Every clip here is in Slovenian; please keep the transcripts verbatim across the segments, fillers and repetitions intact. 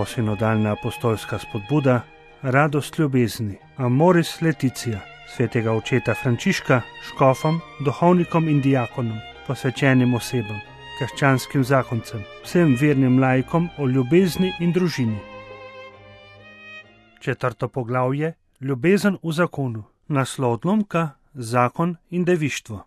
Posinodalna apostolska spodbuda, radost ljubezni, Amoris Laetitia, svetega očeta Frančiška, škofom, duhovnikom in diakonom, posvečenim osebam, krščanskim zakoncem, vsem vernim laikom o ljubezni in družini. Četrto poglavje, ljubezen v zakonu, naslov odlomka, zakon in devištvo.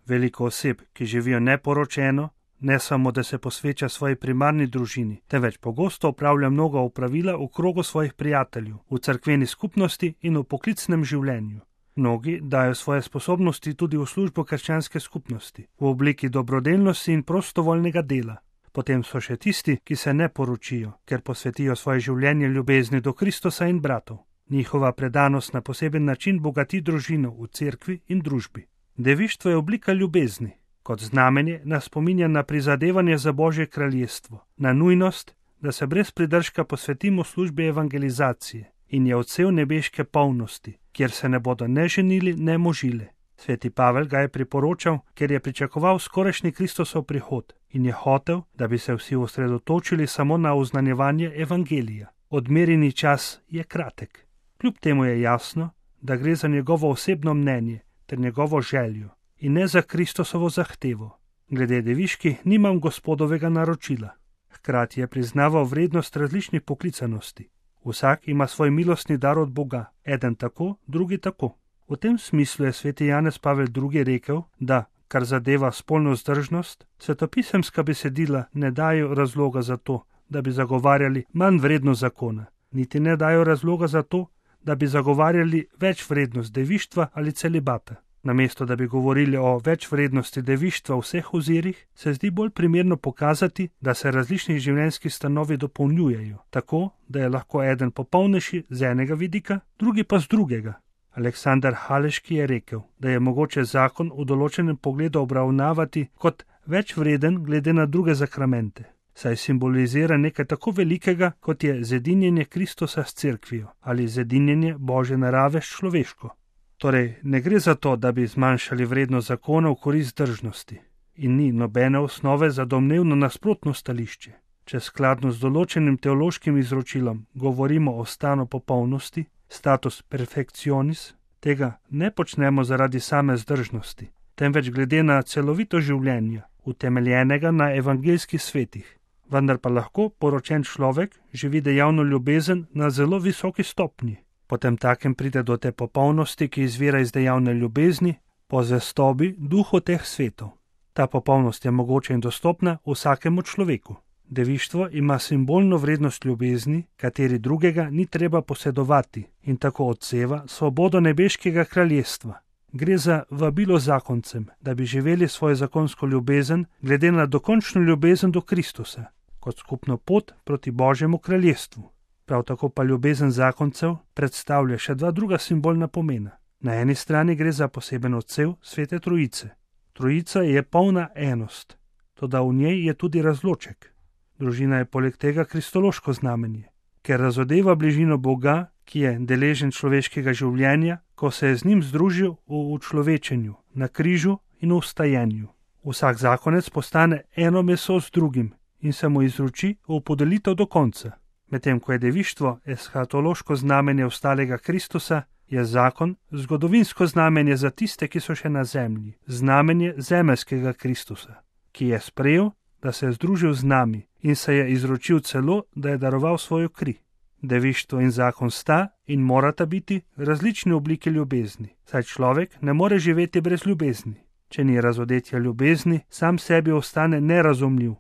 Veliko oseb, ki živijo neporočeno, ne samo, da se posveča svoji primarni družini, temveč pogosto opravlja mnoga opravila v krogu svojih prijateljev, v cerkveni skupnosti in v poklicnem življenju. Mnogi dajo svoje sposobnosti tudi v službo krščanske skupnosti, v obliki dobrodelnosti in prostovoljnega dela. Potem so še tisti, ki se ne poročijo, ker posvetijo svoje življenje ljubezni do Kristusa in bratov. Njihova predanost na poseben način bogati družino v cerkvi in družbi. Devištvo je oblika ljubezni. Kot znamenje nas spominja na prizadevanje za Božje kraljestvo, na nujnost, da se brez pridržka posvetimo službi evangelizacije in je odsev nebeške polnosti, kjer se ne bodo ne ženili, ne možile. Sveti Pavel ga je priporočal, ker je pričakoval skorajšnji Kristusov prihod in je hotel, da bi se vsi osredotočili samo na oznanjevanje evangelija. Odmerjeni čas je kratek. Kljub temu je jasno, da gre za njegovo osebno mnenje ter njegovo željo in ne za Kristusovo zahtevo. Glede deviški nimam gospodovega naročila. Hkrati je priznaval vrednost različnih poklicanosti. Vsak ima svoj milostni dar od Boga, eden tako, drugi tako. V tem smislu je sveti Janez Pavel drugi rekel, da, kar zadeva spolno vzdržnost, svetopisemska besedila ne dajo razloga za to, da bi zagovarjali manj vrednost zakona, niti ne dajo razloga za to, da bi zagovarjali več vrednost devištva ali celibata. Namesto da bi govorili o več vrednosti devištva v vseh ozirih, se zdi bolj primerno pokazati, da se različni življenjski stanovi dopolnjujejo, tako, da je lahko eden popolnejši z enega vidika, drugi pa z drugega. Aleksander Haleški je rekel, da je mogoče zakon v določenem pogledu obravnavati kot več vreden glede na druge zakramente, saj simbolizira nekaj tako velikega, kot je zedinjenje Kristusa s cerkvijo ali zedinjenje Božje narave s človeško. Torej, ne gre za to, da bi zmanjšali vrednost zakona v korist vzdržnosti in ni nobene osnove za domnevno nasprotno stališče. Če skladno z določenim teološkim izročilom govorimo o stanu popolnosti, status perfekcionis, tega ne počnemo zaradi same vzdržnosti, temveč glede na celovito življenje, utemeljenega na evangeljskih svetih. Vendar pa lahko poročen človek živi dejavno ljubezen na zelo visoki stopnji. Potem takem pride do te popolnosti, ki izvira iz dejavne ljubezni, po zvestobi duhu teh svetov. Ta popolnost je mogoča in dostopna vsakemu človeku. Devištvo ima simbolno vrednost ljubezni, kateri drugega ni treba posedovati in tako odseva svobodo nebeškega kraljestva. Gre za vabilo zakoncem, da bi živeli svojo zakonsko ljubezen glede na dokončno ljubezen do Kristusa, kot skupno pot proti Božjemu kraljestvu. Prav tako pa ljubezen zakoncev predstavlja še dva druga simbolna pomena. Na eni strani gre za poseben odsev Svete Trojice. Trojica je polna enost, toda v njej je tudi razloček. Družina je poleg tega kristološko znamenje, ker razodeva bližino Boga, ki je deležen človeškega življenja, ko se je z njim združil v učlovečenju, na križu in v vstajenju. Vsak zakonec postane eno meso z drugim in se mu izroči v podelitev do konca. Medtem ko je devištvo eschatološko znamenje ostalega Kristusa, je zakon zgodovinsko znamenje za tiste, ki so še na zemlji, znamenje zemeljskega Kristusa, ki je sprejel, da se je združil z nami in se je izročil celo, da je daroval svojo kri. Devištvo in zakon sta in morata biti različne oblike ljubezni, saj človek ne more živeti brez ljubezni. Če ni razodetja ljubezni, sam sebi ostane nerazumljiv.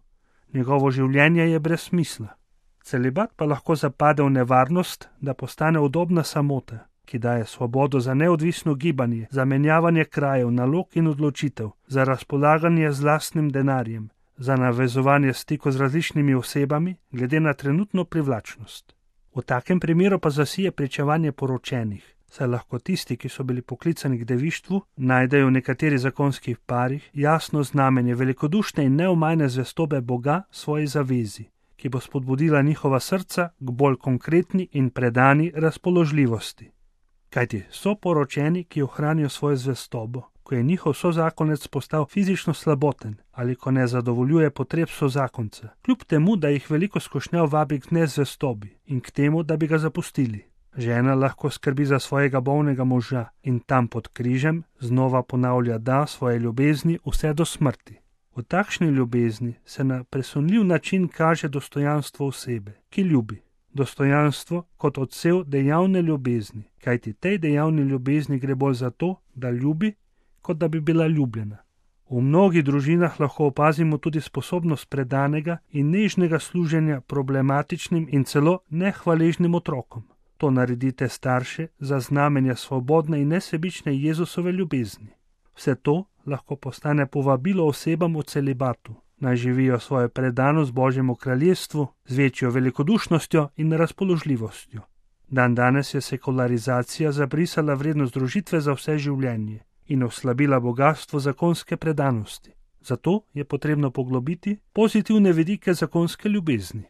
Njegovo življenje je brez smisla. Celibat pa lahko zapade v nevarnost, da postane udobna samota, ki daje svobodo za neodvisno gibanje, za menjavanje krajev, nalog in odločitev, za razpolaganje z lastnim denarjem, za navezovanje stikov z različnimi osebami glede na trenutno privlačnost. V takem primeru pa zasije pričevanje poročenih, saj lahko tisti, ki so bili poklicani k devištvu, najdejo v nekaterih zakonskih parih jasno znamenje velikodušne in neomajne zvestobe Boga svoji zavezi, ki bo spodbudila njihova srca k bolj konkretni in predani razpoložljivosti. Kajti so poročeni, ki ohranijo svojo zvestobo, ko je njihov sozakonec postal fizično slaboten ali ko ne zadovoljuje potreb sozakonca, kljub temu, da jih veliko skušnjav vabi k nezvestobi in k temu, da bi ga zapustili. Žena lahko skrbi za svojega bolnega moža in tam pod križem znova ponavlja da svoje ljubezni vse do smrti. V takšni ljubezni se na presunljiv način kaže dostojanstvo osebe, ki ljubi. Dostojanstvo kot odsev dejavne ljubezni, kajti tej dejavni ljubezni gre bolj za to, da ljubi, kot da bi bila ljubljena. V mnogih družinah lahko opazimo tudi sposobnost predanega in nežnega služenja problematičnim in celo nehvaležnim otrokom. To naredite starše za znamenja svobodne in nesebične Jezusove ljubezni. Vse to lahko postane povabilo osebam v celibatu, naj živijo svojo predanost Božjemu kraljestvu z večjo velikodušnostjo in razpoložljivostjo. Dan danes je sekularizacija zabrisala vrednost družitve za vse življenje in oslabila bogastvo zakonske predanosti. Zato je potrebno poglobiti pozitivne vidike zakonske ljubezni.